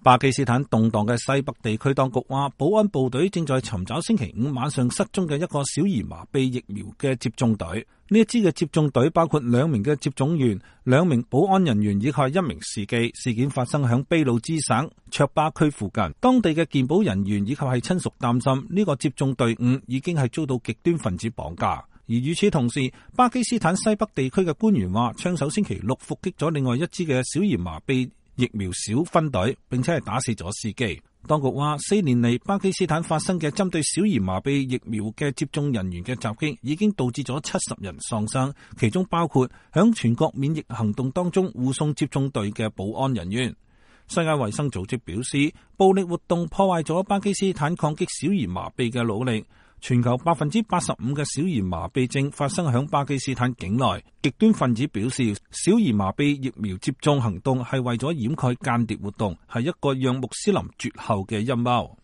巴基斯坦動盪嘅西北地區當局話，保安部隊正在尋找星期五晚上失蹤嘅一個小兒麻痹疫苗嘅接種隊。呢一支嘅接種隊包括2名嘅接種員、2名保安人員以及1名司機。事件發生響俾路支省卓巴區附近。當地嘅健保人員以及係親屬擔心呢個接種隊伍已經係遭到極端分子綁架。而與此同時，巴基斯坦西北地區嘅官員話，槍手星期六伏擊咗另外一支嘅小兒麻痹疫苗小分隊，並且係打死咗司機。當局話，4年嚟巴基斯坦發生嘅針對小兒麻痹疫苗嘅接種人員嘅襲擊，已經導致咗70人喪生，其中包括響全國免疫行動當中護送接種隊嘅保安人員。世界衛生組織表示，暴力活動破壞咗巴基斯坦抗擊小兒麻痹嘅努力。全球85%嘅小兒麻痹症發生響巴基斯坦境內。極端分子表示，小兒麻痹疫苗接種行動係為咗掩蓋間諜活動，係一個讓穆斯林絕後嘅陰謀。